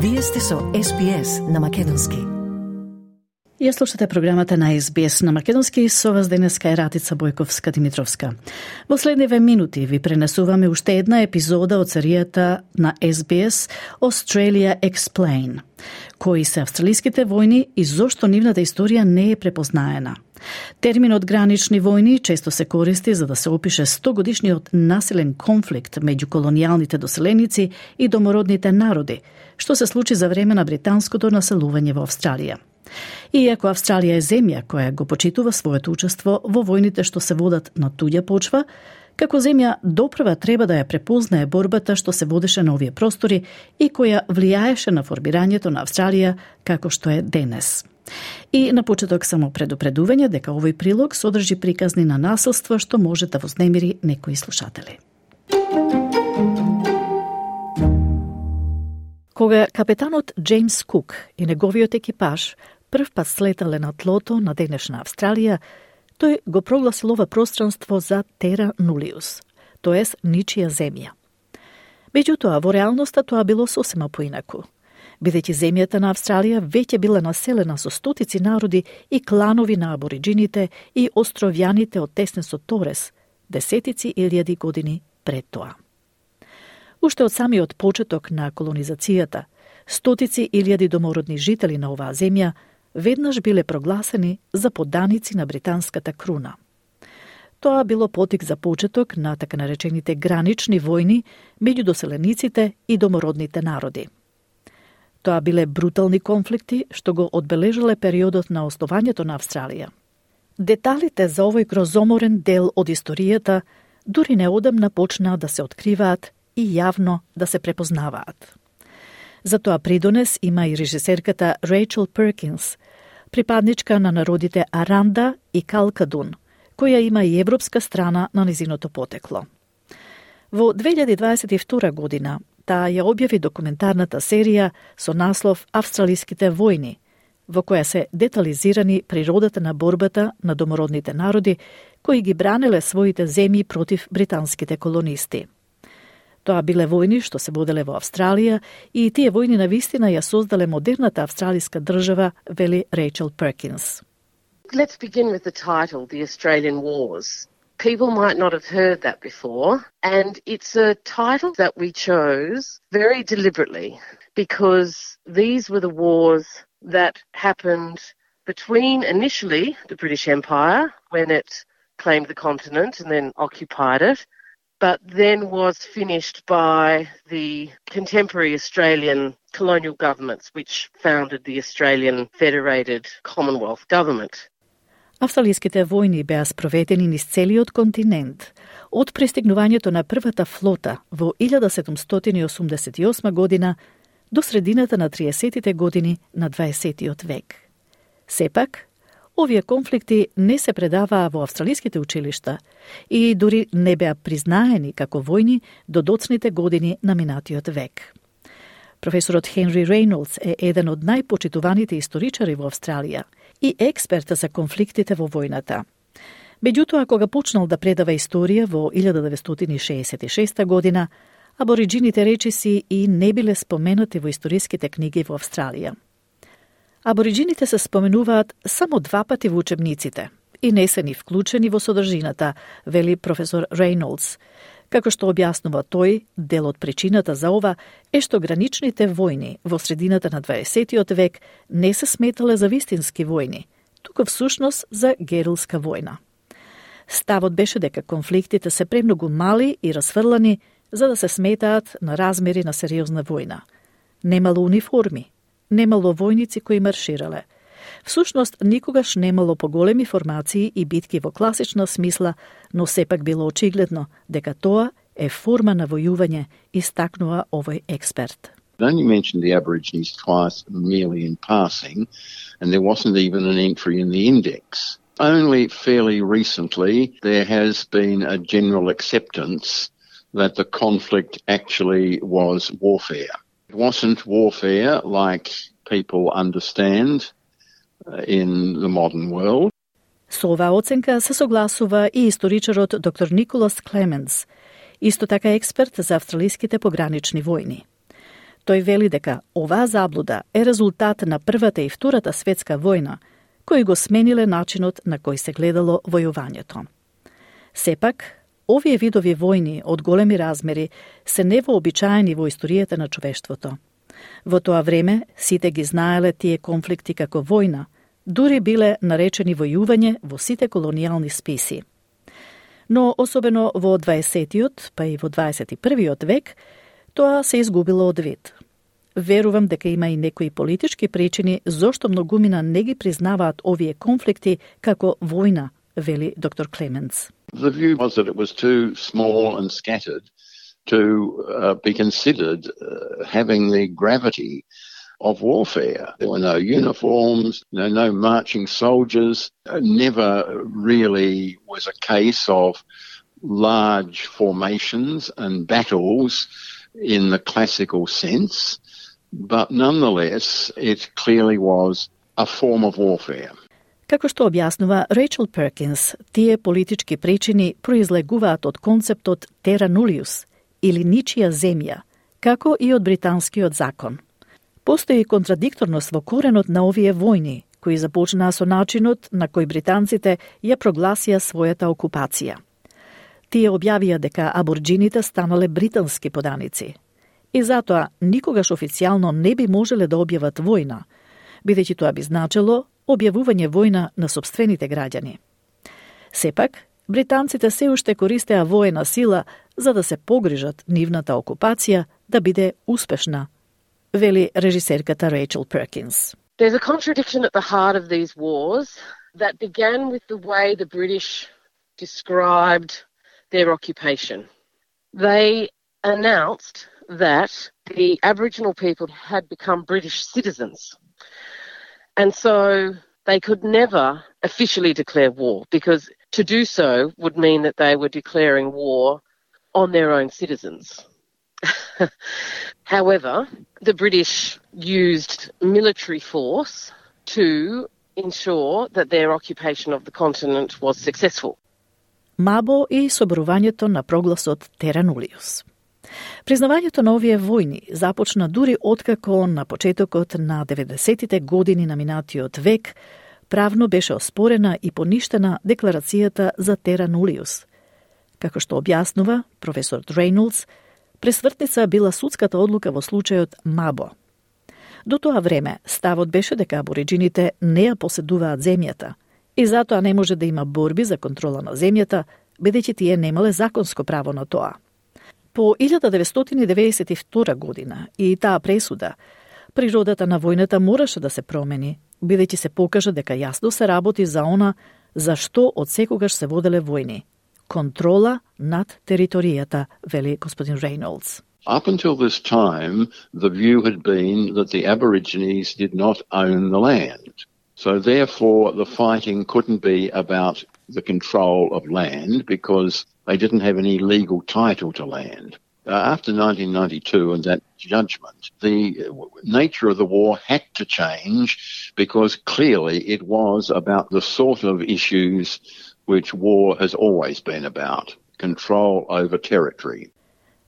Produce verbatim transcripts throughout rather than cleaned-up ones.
Вие сте со Ес Би Ес на македонски. Ја слушате програмата на Ес Би Ес на македонски, со вас денеска е Ратица Бојковска-Димитровска. Во следниве минути ви пренесуваме уште една епизода од серијата на Ес Би Ес Australia Explain. Кои се австралиските војни и зошто нивната историја не е препознаена. Терминот гранични војни често се користи за да се опише стогодишниот насилен конфликт меѓу колонијалните доселеници и домородните народи, што се случи за време на британското населување во Австралија. Иако Австралија е земја која го почитува своето учество во војните што се водат на туѓа почва, како земја допрва треба да ја препознае борбата што се водеше на овие простори и која влијаеше на формирањето на Австралија како што е денес. И на почеток само предупредување дека овој прилог содржи приказни на насилство што може да вознемири некои слушатели. Кога капетанот Джеймс Кук и неговиот екипаж прв пат слетале на тлото на денешна Австралија, тој го прогласил ова пространство за Тера Нулиус, тоест ничија земја. Меѓутоа, во реалноста тоа било сосема поинаку, бидејќи земјата на Австралија веќе била населена со стотици народи и кланови на абориджините и островјаните од Теснесот Торес, десетици илјади години пред тоа. Уште од самиот почеток на колонизацијата, стотици илјади домородни жители на оваа земја веднаш биле прогласени за подданици на британската круна. Тоа било потик за почеток на така наречените гранични војни меѓу доселениците и домородните народи. Тоа биле брутални конфликти што го одбележале периодот на основањето на Австралија. Деталите за овој грозоморен дел од историјата дури неодамна почнаа да се откриваат и јавно да се препознаваат. За тоа придонес има и режисерката Рейчел Перкинс, припадничка на народите Аранда и Калкадун, која има и европска страна на незиното потекло. Во две илјади дваесет и втора година таа ја објави документарната серија со наслов Австралиските војни, во која се детализирани природата на борбата на домородните народи кои ги бранеле своите земји против британските колонисти. Тоа биле војни што се воделе во Австралија и тие војни навистина ја создале модерната австралиска држава, вели Рейчел Перкинс. Let's begin with the title, The Australian Wars. People might not have heard that before, and it's a title that we chose very deliberately because these were the wars that happened between initially the British Empire when it claimed the continent and then occupied it, but then was finished by the contemporary Australian colonial governments, which founded the Australian Federated Commonwealth Government. Австралиските војни беа спроведени низ целиот континент, од пристигнувањето на првата флота во илјада седумстотини и осумдесет и осма година до средината на триесеттите години на дваесеттиот век. Сепак, овие конфликти не се предаваа во австралиските училишта и дури не беа признаени како војни до доцните години на минатиот век. Професорот Хенри Рейнолдс е еден од најпочитуваните историчари во Австралија и експерт за конфликтите во војната. Меѓутоа, кога почнал да предава историја во илјада деветстотини шеесет и шеста година, абориджините речиси и не биле споменати во историските книги во Австралија. Абориджините се споменуваат само два пати во учебниците и не се ни вклучени во содржината, вели професор Рейнолдс. Како што објаснува тој, дел од причината за ова е што граничните војни во средината на дваесеттиот век не се сметале за вистински војни, туку всушност за герилска војна. Ставот беше дека конфликтите се премногу мали и расфрлани за да се сметаат на размери на сериозна војна. Немало униформи, немало војници кои марширале. Всушност, никогаш немало поголеми формации и битки во класична смисла, но сепак било очигледно дека тоа е форма на војување, истакнува овој експерт. I only mentioned the Aborigines twice merely in passing, and there wasn't even an entry in the index. Only fairly recently there has been a general acceptance that the conflict actually was warfare. It wasn't warfare like people understand in the modern world. Со оваа оценка се согласува и историчарот доктор Николас Клеменс, исто така експерт за австралиските погранични војни. Тој вели дека оваа заблуда е резултат на Првата и Втората светска војна, кои го смениле начинот на кој се гледало војувањето. Сепак, овие видови војни од големи размери се невообичаени во историјата на човештвото. Во тоа време сите ги знаеле тие конфликти како војна, дури биле наречени војување во сите колонијални списи. Но особено во дваесеттиот, па и во дваесет и првиот век, тоа се изгубило од вид. Верувам дека има и некои политички причини зошто многумина не ги признаваат овие конфликти како војна, вели доктор Клеменс. The view was that it was too small and scattered to uh, be considered uh, having the gravity of warfare. There were no uniforms, no, no marching soldiers. It never really was a case of large formations and battles in the classical sense, but nonetheless it clearly was a form of warfare. Како што објаснува Рейчел Перкинс, тие политички причини произлегуваат од концептот terra nullius, или ничија земја, како и од британскиот закон. Постои контрадикторност во коренот на овие војни, кои започнаа со начинот на кој британците ја прогласија својата окупација. Тие објавија дека аборџините станале британски поданици. И затоа никогаш официјално не би можеле да објават војна, бидејќи тоа би значило објавување војна на сопствените граѓани. Сепак, британците се уште користеа воена сила за да се погрижат нивната окупација да биде успешна, вели режисерката Рейчел Перкинс. There's a contradiction at the heart of these wars that began with the way the British described their occupation. They announced that the Aboriginal people had become British citizens. And so they could never officially declare war, because to do so would mean that they were declaring war on their own citizens. However, the British used military force to ensure that their occupation of the continent was successful. Мабо и соборувањето на прогласот terra nullius. Признавањето на овие војни започна дури откако на почетокот на деветдесеттите години на минатиот век правно беше оспорена и поништена декларацијата за terra nullius. Како што објаснува професор Рейнолдс, пресвртница била судската одлука во случајот Мабо. До тоа време ставот беше дека абориџините не ја поседуваат земјата и затоа не може да има борби за контрола на земјата, бидејќи тие немале законско право на тоа. По илјада деветстотини деветдесет и втора година и таа пресуда, природата на војната мораше да се промени, бидејќи се покажа дека јасно се работи за она за што од секогаш се воделе војни. Контрола над територијата, вели господин Рейнолдс. Up until this time, the view had been that the Aborigines did not own the land. So therefore, the fighting couldn't be about the control of land because they didn't have any legal title to land. Uh, after nineteen ninety-two and that judgment, the nature of the war had to change because clearly it was about the sort of issues which war has always been about, control over territory.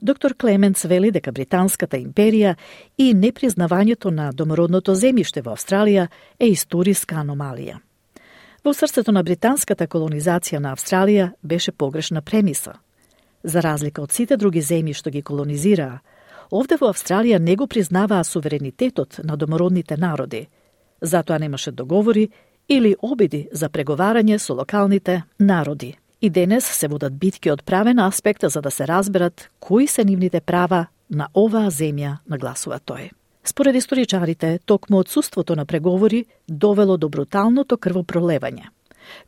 Доктор Клеменс вели дека Британската империја и непризнавањето на домородното земјиште во Австралија е историска аномалија. Во срцето на британската колонизација на Австралија беше погрешна премиса. За разлика од сите други земји што ги колонизираа, овде во Австралија не го признаваа суверенитетот на домородните народи. Затоа немаше договори или обиди за преговарање со локалните народи. И денес се водат битки од правен аспект за да се разберат кои се нивните права на оваа земја, нагласува тој. Според историчарите, токму отсуството на преговори довело до бруталното крвопролевање.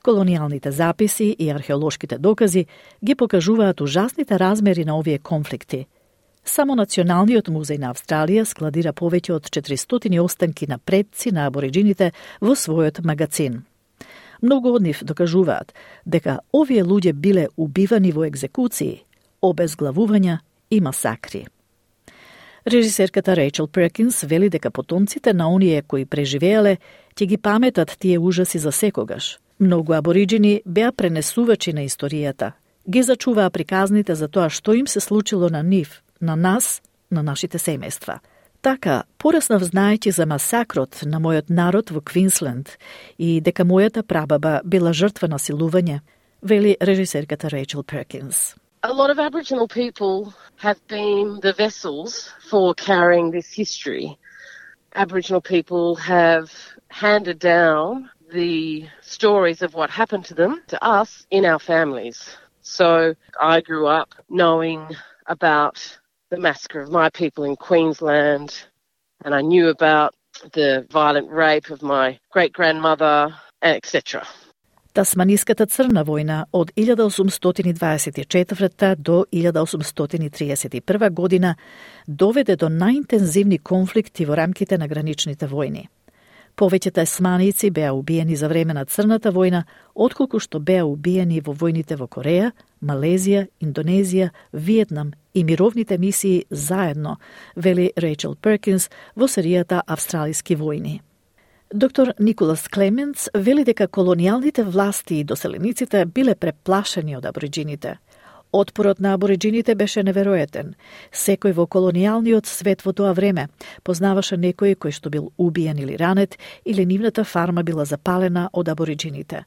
Колонијалните записи и археолошките докази ги покажуваат ужасните размери на овие конфликти. Само Националниот музеј на Австралија складира повеќе од четиристотини останки на предци на абориџините во својот магацин. Многу од нив докажуваат дека овие луѓе биле убивани во екзекуции, обезглавувања и масакри. Режисерката Рейчел Перкинс вели дека потомците на оние кои преживеале ќе ги паметат тие ужаси за секогаш. Многу абориџини беа пренесувачи на историјата, ги зачуваа приказните за тоа што им се случило на нив, на нас, на нашите семејства. Така, пораснав знаејќи за масакрот на мојот народ во Квинсленд и дека мојата прабаба била жртва на силување, вели режисерката Рейчел Перкинс. A lot of Aboriginal people have been the vessels for carrying this history. Aboriginal people have handed down the stories of what happened to them to us in our families. So I grew up knowing about the massacre of my people in Queensland, and I knew about the violent rape of my great-grandmother, et cetera. Тасманиската црна војна од илјада осумстотини дваесет и четврта до илјада осумстотини триесет и прва година доведе до најинтензивни конфликти во рамките на граничните војни. Повеќе тасманијци беа убиени за време на Црната војна, отколку што беа убиени во војните во Кореја, Малезија, Индонезија, Виетнам и мировните мисии заедно, вели Рейчел Перкинс во серијата Австралиски војни. Доктор Николас Клеменц вели дека колонијалните власти и доселениците биле преплашени од абориџините. Отпорот на абориџините беше неверојатен. Секој во колонијалниот свет во тоа време познаваше некој кој што бил убиен или ранет, или нивната фарма била запалена од абориџините.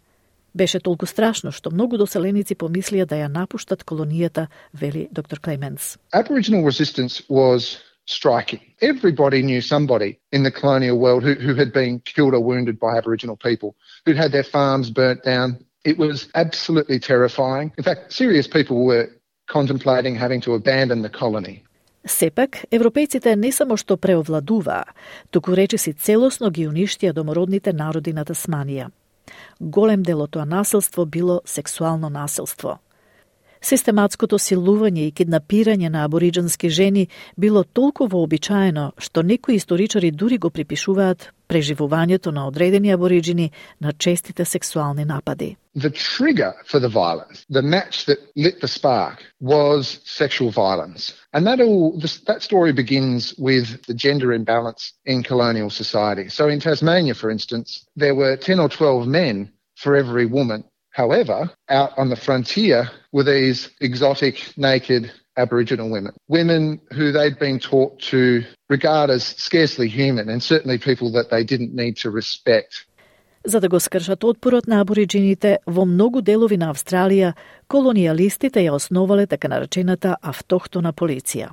Беше толку страшно што многу доселеници помислија да ја напуштат колонијата, вели доктор Клеменц. Aboriginal resistance was striking. Everybody knew somebody in the colonial world who, who had been killed or wounded by Aboriginal people, who'd had their farms burnt down. It was absolutely terrifying. In fact, serious people were contemplating having to abandon the colony. Сепак, европејците не само што преовладуваа, туку речиси целосно ги уништија домородните народи на Тасманија. Голем дел од тоа насилство било сексуално насилство. Систематското силување и киднапирање на абориџански жени било толку вообичаено што некои историчари дури го припишуваат преживувањето на одредени абориџини на честите сексуални напади. The trigger for the violence, the match that lit the spark, was sexual violence. And that all that story begins with the gender imbalance in colonial society. So in Tasmania, for instance, there were ten or twelve men for every woman. However, out on the frontier were these exotic, naked Aboriginal women. Women who they'd been taught to regard as scarcely human and certainly people that they didn't need to respect. За да го скршат отпорот на абориџините, во многу делови на Австралија, колонијалистите ја основале така наречената автохтона полиција.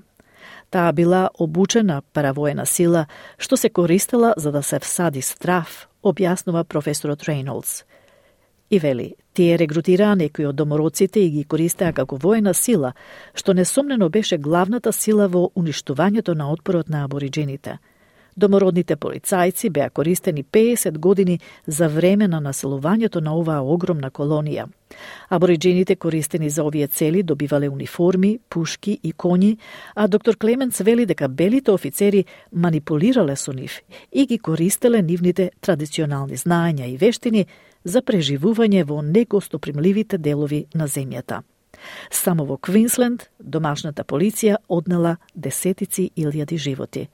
Таа била обучена паравоена сила, што се користела за да се всади страв, објаснува професорот Рейнолдс. И вели, тие регрутираа некои од домородците и ги користеа како воена сила, што несомнено беше главната сила во уништувањето на отпорот на абориџините. Домородните полицајци беа користени пеесет години за време на населувањето на оваа огромна колонија. Абориџините користени за овие цели добивале униформи, пушки и коњи, а доктор Клеменц вели дека белите офицери манипулирале со нив и ги користеле нивните традиционални знаења и вештини за преживување во негостопримливите делови на земјата. Само во Квинсленд домашната полиција однела десетици илјади животи.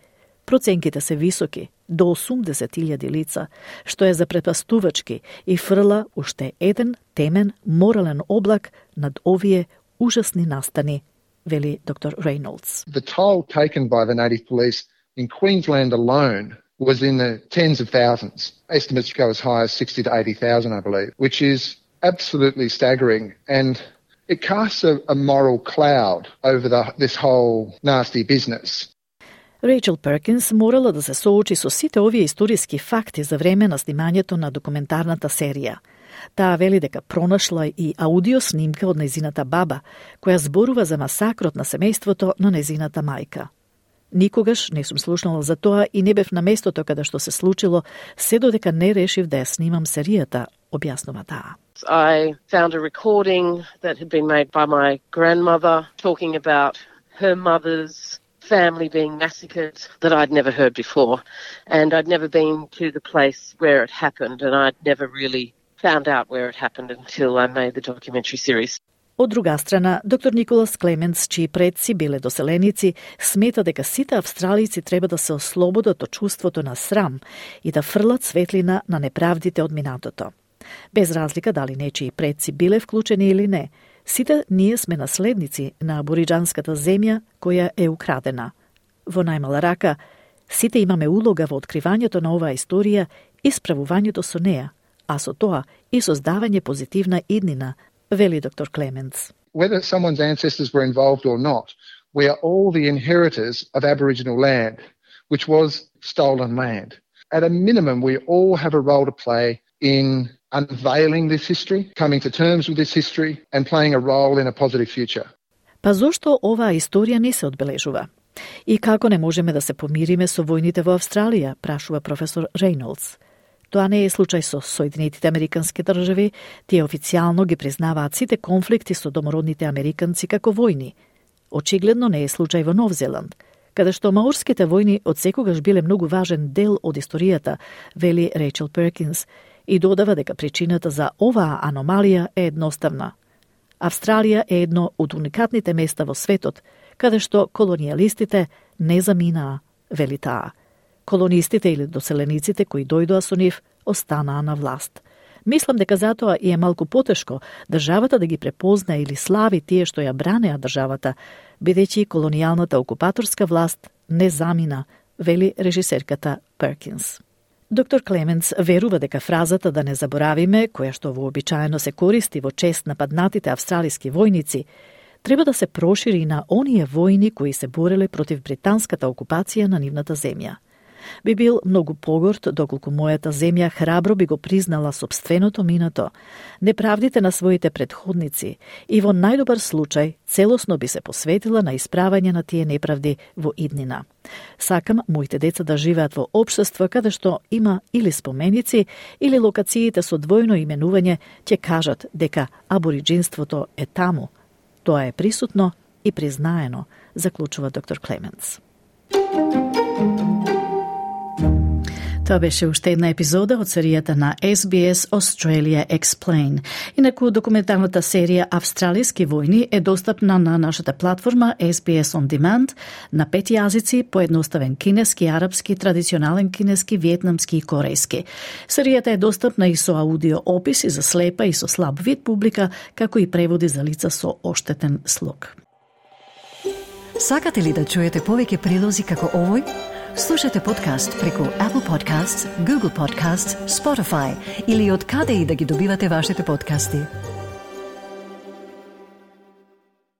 Проценките се високи, до осумдесет илјади лица, што е запретпастувачки и фрла уште еден темен морален облак над овие ужасни настани, вели доктор Рейнолдс. The toll taken by the native police in Queensland alone was in the tens of thousands. Estimates go as high as sixty to eighty thousand, I believe, which is absolutely staggering. And it casts a, a moral cloud over the, this whole nasty business. Рейчел Перкинс морала да се соочи со сите овие историски факти за време на снимањето на документарната серија. Таа вели дека пронашла и аудио снимка од незината баба, која зборува за масакрот на семејството на незината мајка. Никогаш не сум слушнала за тоа и не бев на местото каде што се случило, се додека не решив да ја снимам серијата, објаснува таа. I found a recording that had been made by my grandmother talking about her mother's family being massacred that I'd never heard before. And I'd never been to the place where it happened, and I'd never really found out where it happened until I made the documentary series. Од друга страна, доктор Николас Клеменц, чии предци биле доселеници, смета дека сите австралици треба да се ослободат од чувството на срам и да фрлат светлина на неправдите од минатото. Без разлика дали нечии предци биле вклучени или не, сите ние сме наследници на абориџанската земја која е украдена. Во најмала рака, Сите имаме улога во откривањето на оваа историја и справувањето со неа, а со тоа и создавање позитивна иднина, вели доктор Клеменц. Whether someone's ancestors were involved or not, we are all the inheritors of Aboriginal land, which was stolen land. At a minimum, we all have a role to play in unveiling this history, coming to terms with this history, and playing a role in a positive future. Па зошто оваа историја не се одбележува? И како не можеме да се помириме со војните во Австралија, прашува професор Рейнолдс. Тоа не е случај со Соединетите Американски држави, тие официјално ги признаваат сите конфликти со домородните американци како војни. Очигледно не е случај во Нов Зеланд, каде што маорските војни одсекогаш биле многу важен дел од историјата, вели Рейчел Перкинс, и додава дека причината за оваа аномалија е едноставна. Австралија е едно од уникатните места во светот, каде што колонијалистите не заминаа, вели таа. Колонистите или доселениците кои дојдоа со нив останаа на власт. Мислам дека затоа и е малку потешко државата да ги препозна или слави тие што ја бранеа државата, бидејќи колонијалната окупаторска власт не замина, вели режисерката Перкинс. Доктор Клеменц верува дека фразата да не заборавиме, која што вообичаено се користи во чест на паднатите австралиски војници, треба да се прошири на оние војни кои се бореле против британската окупација на нивната земја. Би бил многу погорд доколку мојата земја храбро би го признала сопственото минато, неправдите на своите предходници и во најдобар случај целосно би се посветила на исправање на тие неправди во иднина. Сакам моите деца да живеат во општество каде што има или споменици, или локациите со двојно именување ќе кажат дека абориджинството е таму. Тоа е присутно и признаено, заклучува доктор Клеменц. Тоа беше уште една епизода од серијата на Ес Би Ес Australia Explain. Инаку документарната серија Австралиски војни е достапна на нашата платформа Ес Би Ес On Demand на пет јазици, поедноставен кинески, арапски, традиционален кинески, виетнамски и корејски. Серијата е достапна и со аудио описи за слепа и со слаб вид публика, како и преводи за лица со оштетен слух. Сакате ли да чуете повеќе прилози како овој? Слушате подкаст преку Apple Podcasts, Google Podcasts, Spotify или од каде и да ги добивате вашите подкасти.